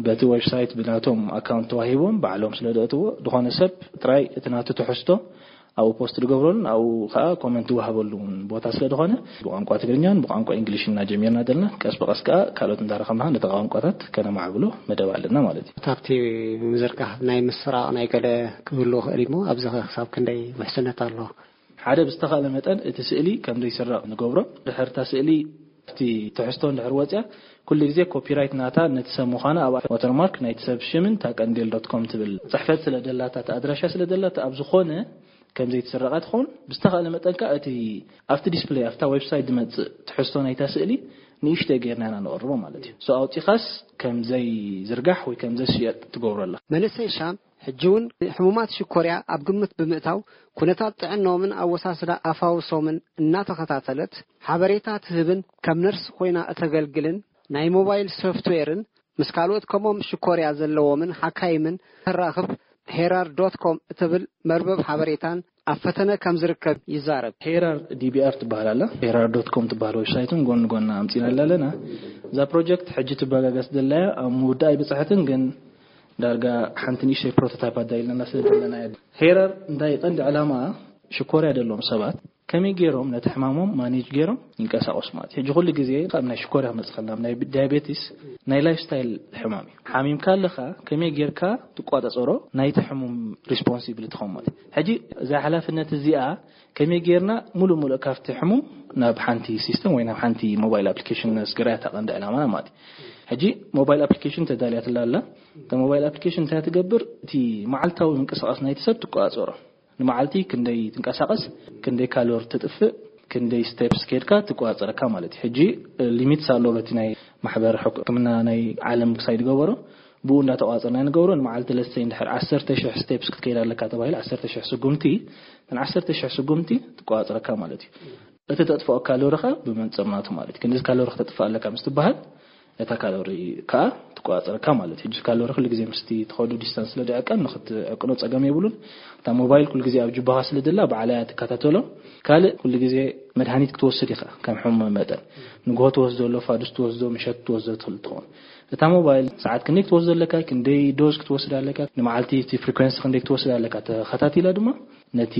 በቲ ዌብሳይት ብናቶም ኣካውንት ተዋሂቦም ባዕሎም ስለ ዘእትዎ፣ ዝኾነ ሰብ ጥራይ እቲ ናቱ ትሕዝቶ ኣብኡ ፖስት ዝገብረሉን ኣብኡ ከኣ ኮመንት ዝወሃበሉ እውን ቦታ ስለ ዝኾነ፣ ብቋንቋ ትግርኛን ብቋንቋ እንግሊሽን እናጀሚርና ዘለና፣ ቀስ ብቐስ ከኣ ካልኦት እንዳረኸብና ነቲ ቋንቋታት ከነማዕብሎ መደብ ኣለና ማለት እዩ። ካብቲ ምዝርጋሕ ናይ ምስራቕ ናይ ገለ ክህሉ ይኽእል እሞ፣ ኣብዚ ኸ ክሳብ ክንደይ ውሕስነት ኣሎ? ሓደ ብዝተኻእለ መጠን እቲ ስእሊ ከም ዘይስረቕ ንገብሮ። ድሕር እታ ስእሊ ኣብቲ ትሕዝቶ እንድሕር ወፅያ፣ ኩሉ ግዜ ኮፒራይት ናታ ነቲ ሰብ ምዃና ኣብ ዋተርማርክ ናይቲ ሰብ ሽምን እታ ቀንዴል ዶት ኮም ትብል ፅሕፈት ስለ ደላታ፣ እቲ ኣድራሻ ስለ ደላታ፣ ኣብ ዝኾነ ከም ዘይትስረቓ ትኸውን። ብዝተኻእለ መጠን ከኣ እቲ ኣብቲ ዲስፕለይ፣ ኣብታ ዌብሳይት ዝመጽእ ትሕዝቶ ናይታ ስእሊ ንእሽተይ ጌርና ኢና ነቕርቦ ማለት እዩ። ሶ ኣውጺኻስ ከም ዘይዝርጋሕ ወይ ከም ዘይሽየጥ ትገብሮ ኣለኻ። መንእሰይ ሻም ሕጂ እውን ሕሙማት ሽኮርያ ኣብ ግምት ብምእታው፣ ኩነታት ጥዕናኦምን ኣወሳስዳ ኣፋውሶምን እናተኸታተለት ሓበሬታ ትህብን ከም ነርስ ኮይና እተገልግልን ናይ ሞባይል ሶፍትዌርን ምስ ካልኦት ከምኦም ሽኮርያ ዘለዎምን ሓካይምን ተራኽብ ሄራር ዶት ኮም እትብል መርበብ ሓበሬታን ኣብ ፈተነ ከም ዝርከብ ይዛረብ። ሄራር ዲ ቢ ኣር ትበሃል ኣላ። ሄራር ዶት ኮም ትበሃል ዌብሳይትን ጎኒ ጎና ኣምጺና ኣለና። እዛ ፕሮጀክት ሕጂ ትበጋገስ ዘላያ ኣብ ምውዳእ ኣይበጽሐትን፣ ግን ዳርጋ ሓንቲ ንእሽተይ ፕሮቶታይፕ ኣዳይልና ስለ ዘለና እያ። ሄራር እንታይ ቀንዲ ዕላማ ሽኮርያ ዘለዎም ሰባት ከመይ ገይሮም ነቲ ሕማሞም ማኔጅ ገይሮም ይንቀሳቐሱ ማለት እዩ። ሕጂ ኩሉ ግዜ ካብ ናይ ሽኮርያ ክመጽእ ከለና፣ ናይ ዳያቤቲስ ናይ ላይፍ ስታይል ሕማም እዩ። ሓሚምካ ኣለኻ ከመይ ጌርካ ትቆጻጸሮ ናይቲ ሕሙም ሪስፖንሲቢሊቲ ኾም ማለት እዩ። ሕጂ እዛ ሓላፍነት እዚኣ ከመይ ጌርና ሙሉእ ሙሉእ ካብቲ ሕሙም ናብ ሓንቲ ሲስተም ወይ ናብ ሓንቲ ሞባይል ኣፕሊኬሽን ነስግራ እያ እታ ቀንዲ ዕላማና ማለት እዩ። ሕጂ ሞባይል ኣፕሊኬሽን ተዳልያትላ ኣላ። እታ ሞባይል ኣፕሊኬሽን እንታይ ትገብር? እቲ መዓልታዊ ምንቅስቓስ ናይቲ ሰብ ትቆጻጸሮ። ንመዓልቲ ክንደይ ትንቀሳቐስ፣ ክንደይ ካሎር ተጥፍእ፣ ክንደይ ስቴፕስ ከድካ ትቆጻጸረካ ማለት እዩ። ሕጂ ሊሚትስ ኣለዎ በቲ ናይ ማሕበር ሕክምና ናይ ዓለም ክሳይ ዝገበሮ፣ ብኡ እንዳተቆጻጸርና ንገብሮ። ንመዓልቲ ለሰይ እንድሕር ዓሰርተ ሽሕ ስቴፕስ ክትከይድ ኣለካ ተባሂሉ፣ ዓሰርተ ሽሕ ስጉምቲ፣ እተን ዓሰርተ ሽሕ ስጉምቲ ትቆጻጸረካ ማለት እዩ። እቲ ተጥፍኦ ካሎሪ ከኣ ብመንጽር ናቱ ማለት እዩ። ክንድዚ ካሎሪ ክተጥፍእ ኣለካ ምስ ትበሃል፣ እታ ካሎሪ ከኣ ትቆጻጸረካ ማለት እዩ። ሕጂ ካሎሪ ኩሉ ግዜ ምስቲ ትኸዱ ዲስታንስ ስለ ዝዕቀን ንኽትዕቅኖ ጸገም የብሉን። እታ ሞባይል ኩሉ ግዜ ኣብ ጅባኻ ስለ ዘላ ባዕላ እያ ትከታተሎ። ካልእ ኩሉ ግዜ መድሃኒት ክትወስድ ኢኻ ከም ሕሙም መጠን። ንግሆ ትወስዶ ኣሎ፣ ፋዱስ ትወስዶ፣ ምሸት ትወስዶ ትኽእል ትኸውን። እታ ሞባይል ሰዓት ክንደይ ክትወስዶ ኣለካ፣ ክንደይ ዶዝ ክትወስድ ኣለካ፣ ንመዓልቲ እቲ ፍሪኩዌንሲ ክንደይ ክትወስድ ኣለካ ተኸታቲላ ድማ ነቲ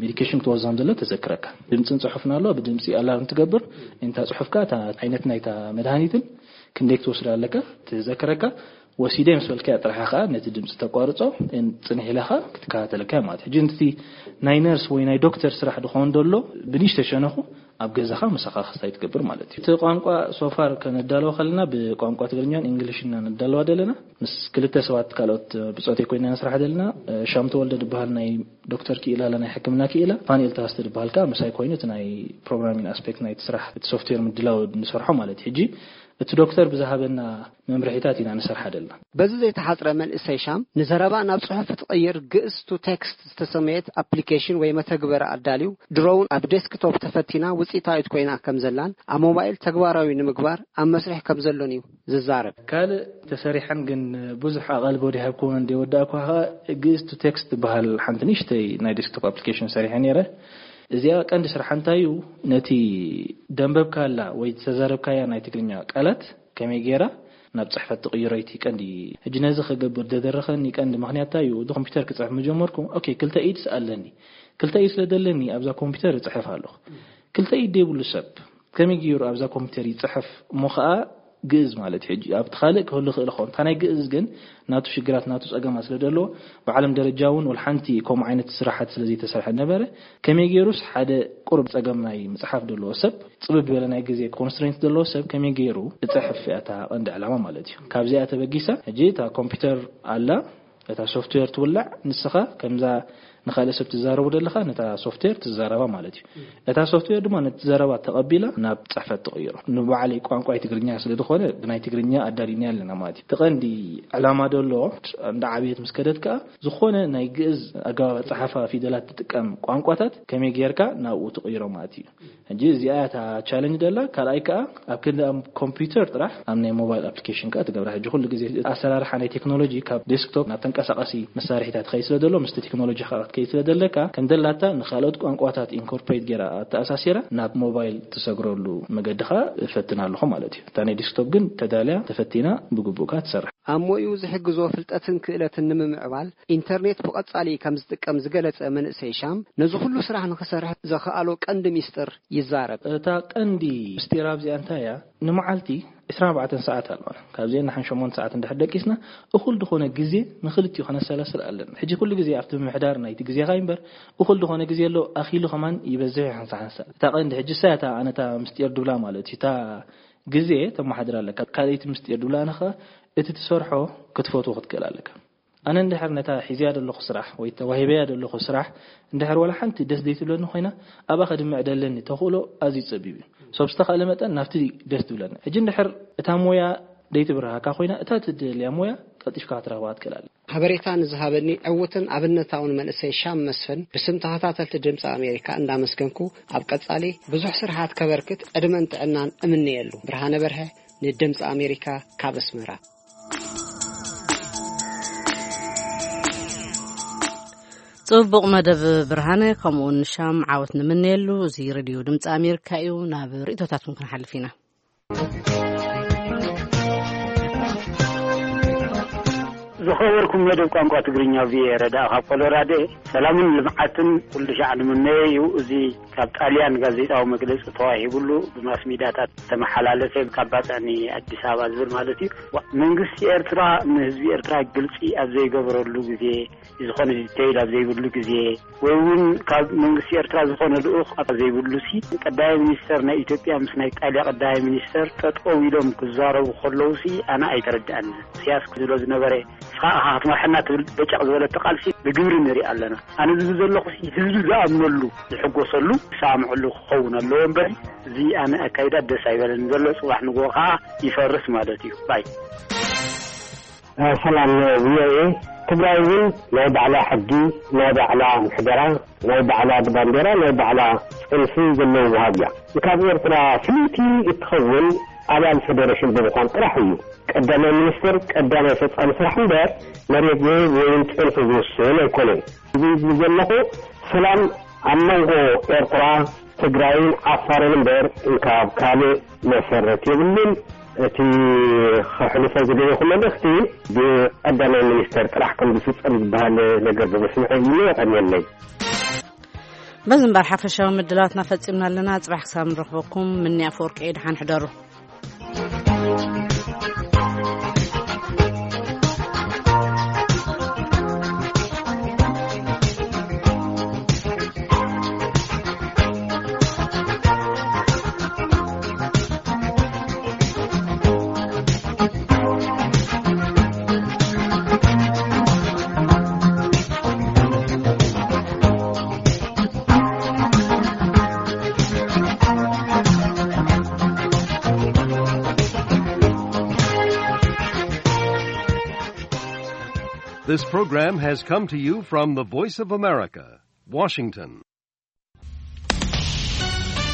ሜዲኬሽን ክትወስድ ከም ዘሎ ተዘክረካ። ድምፅን ፅሑፍን ኣሎ፣ ብድምፂ ኣላርም ትገብር። እንታ ፅሑፍካ እታ ዓይነት ናይታ መድሃኒትን ክንደይ ክትወስድ ኣለካ ትዘክረካ። ወሲደ ምስ በልካያ ጥራሕ ከኣ ነቲ ድምፂ ተቋርጾ፣ እን-፣ ጽንሕ ኢላ ከኣ ክትከታተለካ ማለት እዩ። ሕጂ ነቲ ናይ ነርስ ወይ ናይ ዶክተር ስራሕ ድኾን ደሎ ብንእሽተይ ሸነኹ ኣብ ገዛኻ ምሳኻ ክስታይ ትገብር ማለት እዩ። እቲ ቋንቋ ሶፋር ከነዳለዋ ከለና ብቋንቋ ትግርኛን እንግሊሽን ኢና ነዳለዋ ደለና። ምስ ክልተ ሰባት ካልኦት ብጾተይ ኮይና ንስራሕ ደለና። ሻም ተወልደ ዝበሃል ናይ ዶክተር ክኢላ ኣላ፣ ናይ ሕክምና ክኢላ፣ ፋንኤል ተሃስተ ዝበሃል ከኣ ምሳይ ኮይኑ እቲ ናይ ፕሮግራሚንግ ኣስፔክት ናይቲ ስራሕ፣ እቲ ሶፍትዌር ምድላው ንሰርሖ ማለት እዩ። ሕጂ እቲ ዶክተር ብዝሃበና መምርሒታት ኢና ንሰርሓ ደልና። በዚ ዘይተሓጽረ መንእሰይ ሻም ንዘረባ ናብ ጽሑፍ ትቕይር ግእዝ ቱ ቴክስት ዝተሰመየት ኣፕሊኬሽን ወይ መተግበሪ ኣዳልዩ፣ ድሮውን ኣብ ዴስክቶፕ ተፈቲና ውጽኢታዊት ኮይና ከም ዘላን ኣብ ሞባይል ተግባራዊ ንምግባር ኣብ መስርሕ ከም ዘሎን እዩ ዝዛረብ። ካልእ ተሰሪሐን ግን ብዙሕ ኣቓልቦ ዲሃብኩዎን እንደ ወዳእኳ ኸኣ ግእዝ ቱ ቴክስት ትበሃል ሓንቲ ንእሽተይ ናይ ዴስክቶፕ ኣፕሊኬሽን ሰሪሐ ነይረ። እዚኣ ቀንዲ ስርሓ እንታይ እዩ? ነቲ ደንበብካላ ወይ ዝተዛረብካያ ናይ ትግርኛ ቃላት ከመይ ገይራ ናብ ጽሕፈት ትቕይሮ እቲ ቀንዲ። ሕጂ ነዚ ክገብር ዘደረኸኒ ቀንዲ ምኽንያት እንታይ እዩ? እቲ ኮምፒውተር ክጽሕፍ ምጀመርኩ፣ ኦኬ፣ ክልተ ኢድስ ኣለኒ። ክልተ ኢድ ስለ ዘለኒ ኣብዛ ኮምፒውተር እጽሕፍ ኣለኹ። ክልተ ኢድ ዘይብሉ ሰብ ከመይ ገይሩ ኣብዛ ኮምፒውተር ይጽሕፍ? እሞ ኸኣ ግእዝ ማለት እዩ። ሕጂ ኣብቲ ካልእ ክህሉ ይኽእል ይኸውን። እታ ናይ ግእዝ ግን ናቱ ሽግራት፣ ናቱ ጸገማት ስለ ዘለዎ፣ ብዓለም ደረጃ እውን ወላ ሓንቲ ከምኡ ዓይነት ስራሓት ስለ ዘይተሰርሐ ነበረ። ከመይ ገይሩስ ሓደ ቁሩብ ጸገም ናይ ምጽሓፍ ዘለዎ ሰብ፣ ጽብብ ዝበለ ናይ ግዜ ኮንስትሬንት ዘለዎ ሰብ ከመይ ገይሩ ክጽሕፍ እያ እታ ቀንዲ ዕላማ ማለት እዩ። ካብዚኣ ተበጊሳ፣ ሕጂ እታ ኮምፒውተር ኣላ፣ እታ ሶፍትዌር ትውላዕ፣ ንስኻ ከምዛ ንኻልእ ሰብ ትዛረቡ ዘለኻ ነታ ሶፍትዌር ትዛረባ ማለት እዩ። እታ ሶፍትዌር ድማ ነቲ ዘረባ ተቐቢላ ናብ ጽሕፈት ትቕይሮ። ንባዕለይ ቋንቋይ ትግርኛ ስለ ዝኾነ ብናይ ትግርኛ ኣዳሊና ኣለና ማለት እዩ። እቲ ቀንዲ ዕላማ ደሎ እንዳ ዓብየት ምስ ከደት ከኣ ዝኾነ ናይ ግእዝ ኣገባብ ኣጸሓሕፋ ፊደላት ትጥቀም ቋንቋታት ከመይ ጌርካ ናብኡ ትቕይሮ ማለት እዩ። ሕጂ እዚኣ እታ ቻለንጅ ደላ። ካልኣይ ከኣ ኣብ ክንዲ ኣብ ኮምፒውተር ጥራሕ ኣብ ናይ ሞባይል ኣፕሊኬሽን ከኣ ትገብራ። ሕጂ ኩሉ ግዜ ኣሰራርሓ ናይ ቴክኖሎጂ ካብ ዴስክቶፕ ናብ ተንቀሳቃሲ መሳርሒታት ትኸይድ ስለ ዘሎ፣ ምስቲ ቴክኖሎጂ ከኣ ክትከይድ ስለ ዘለካ፣ ከም ደላታ ንኻልኦት ቋንቋታት ኢንኮርፖሬት ጌራ ኣተኣሳሲራ ናብ ሞባይል ትሰግረሉ መገዲ ከኣ እፈትን ኣለኹ ማለት እዩ። እታ ናይ ዴስክቶፕ ግን ተዳልያ ተፈቲና ብግቡእ ከኣ ትሰርሕ። ኣብ ሞይኡ ዝሕግዞ ፍልጠትን ክእለትን ንምምዕባል ኢንተርኔት ብቐጻሊ ከም ዝጥቀም ዝገለጸ መንእሰይ ሻም፣ ነዚ ኩሉ ስራሕ ንኽሰርሕ ዘኽኣሎ ቀንዲ ሚስጥር ይዛረብ። እታ ቀንዲ ምስጢር ኣብዚኣ እንታይ እያ? ንመዓልቲ ዕስራን ኣርባዕተን ሰዓት ኣለና። ካብዚአን ንሓን ሸሞንተ ሰዓት እንድሕር ደቂስና፣ እኹል ዝኾነ ግዜ ንኽልቲኡ ከነሰላስል ኣለና። ሕጂ ኩሉ ግዜ ኣብቲ ምምሕዳር ናይቲ ግዜኻ እምበር፣ እኹል ዝኾነ ግዜ ኣሎ፣ ኣኺሉ ከማን ይበዝሕ ሓንሳ ሓንሳ። እታ ቀንዲ ሕጂ እሳ እታ ኣነ እታ ምስጢር ድብላ ማለት እዩ። እታ ግዜ ተመሓድር ኣለካ። ካልኣይቲ ምስጢር ድብላ ኣነ ኸኣ፣ እቲ ትሰርሖ ክትፈትዎ ክትክእል ኣለካ። ኣነ እንድሕር ነታ ሒዝያ ዘለኹ ስራሕ ወይ ተዋሂበያ ዘለኹ ስራሕ እንድሕር ዋላ ሓንቲ ደስ ዘይትብለኒ ኮይና፣ ኣብኣ ከድምዕ ደለኒ ተኽእሎ ኣዝዩ ጸቢብ እዩ። ሶብ ዝተኻእለ መጠን ናብቲ ደስ ትብለኒ። ሕጂ እንድሕር እታ ሞያ ደይትብርሃካ ኮይና፣ እታ ትደልያ ሞያ ቀልጢፍካ ክትረኽባ ትክእል ኣለካ። ሓበሬታ ንዝሃበኒ ዕዉትን ኣብነታውን መንእሰይ ሻም መስፍን ብስም ተኸታተልቲ ድምፂ ኣሜሪካ እንዳመስገንኩ፣ ኣብ ቀጻሊ ብዙሕ ስርሓት ከበርክት ዕድመን ጥዕናን እምነየሉ። ብርሃነ በርሀ ንድምፂ ኣሜሪካ ካብ ኣስመራ። ጽቡቕ መደብ ብርሃነ፣ ከምኡውን ንሻም ዓወት ንምነየሉ። እዚ ሬድዮ ድምፂ ኣሜሪካ እዩ። ናብ ርእይቶታትኩም ክንሓልፍ ኢና። ዝኸበርኩም መደብ ቋንቋ ትግርኛ ቪኦኤ ረዳእ ካብ ኮሎራዶ፣ ሰላምን ልምዓትን ኩሉ ሻዕ ንምነዮ እዩ። እዚ ካብ ጣልያን ጋዜጣዊ መግለጺ ተዋሂብሉ ብማስ ሚድያታት ተመሓላለፈ፣ ካብ ባጽዕ ንኣዲስ ኣበባ ዝብል ማለት እዩ። ዋ፣ መንግስቲ ኤርትራ ንህዝቢ ኤርትራ ግልጺ ኣብ ዘይገበረሉ ግዜ፣ ዝኾነ ዲቴይል ኣብ ዘይብሉ ግዜ፣ ወይ እውን ካብ መንግስቲ ኤርትራ ዝኾነ ልኡኽ ኣብ ዘይብሉ ሲ፣ ቀዳማይ ሚኒስተር ናይ ኢትዮጵያ ምስ ናይ ጣልያ ቀዳማይ ሚኒስተር ጠጠው ኢሎም ክዛረቡ ከለዉ ሲ፣ ኣነ ኣይተረድኣኒ። ኢሳያስ ክዝሎ ዝነበረ፣ "ንስኻ ኢኻ ክትመርሐና" ትብል በጨቕ ዝበለቶ ቃልሲ ብግብሪ ንርኢ ኣለና። ኣነ ዝብል ዘለኹ ሲ፣ ህዝቢ ዝኣምነሉ፣ ዝሕጎሰሉ፣ ዝሰማምዐሉ ክኸውን ኣለዎ እምበሪ፣ እዚ ኣነ ኣካይዳ ደስ ኣይበለኒ ዘሎ። ጽባሕ ንግሆ ከኣ ይፈርስ ማለት እዩ። ባይ። እ፣ ሰላም ቪኦኤ። ትግራይ እውን ናይ ባዕላ ሕጊ፣ ናይ ባዕላ ምሕደራ፣ ናይ ባዕላ ባንዴራ፣ ናይ ባዕላ ጽንሲ ዘለዎ ወሃብ እያ። ካብ ኤርትራ ፍልይቲ እትኸውን ኣባል ፌደሬሽን ብምዃን ጥራሕ እዩ። ቀዳማይ ሚኒስትር ቀዳማይ ፈጻሚ ስራሕ እምበር መሬት ዝህብ ወይም ጽንሒ ዝውስን ኣይኮነን። እዚ ዝብል ዘለኹ ሰላም ኣብ መንጎ ኤርትራ፣ ትግራይን ዓፋርን እምበር እንካብ ካልእ መሰረት የብሉን። እቲ ከሕልፎ ዝደለኹ መልእኽቲ ብቀዳማይ ሚኒስተር ጥራሕ ከም ዝፍጸም ዝበሃል ነገር ብምስምዐይ እዩ። የቐንየለይ። በዚ እምበር ሓፈሻዊ ምድላዋትና ፈጺምና ኣለና። ጽባሕ ክሳብ ንረኽበኩም ምኒ ኣፈወርቂ እየ። ደሓን ሕደሩ። This program has come to you from the Voice of America, Washington.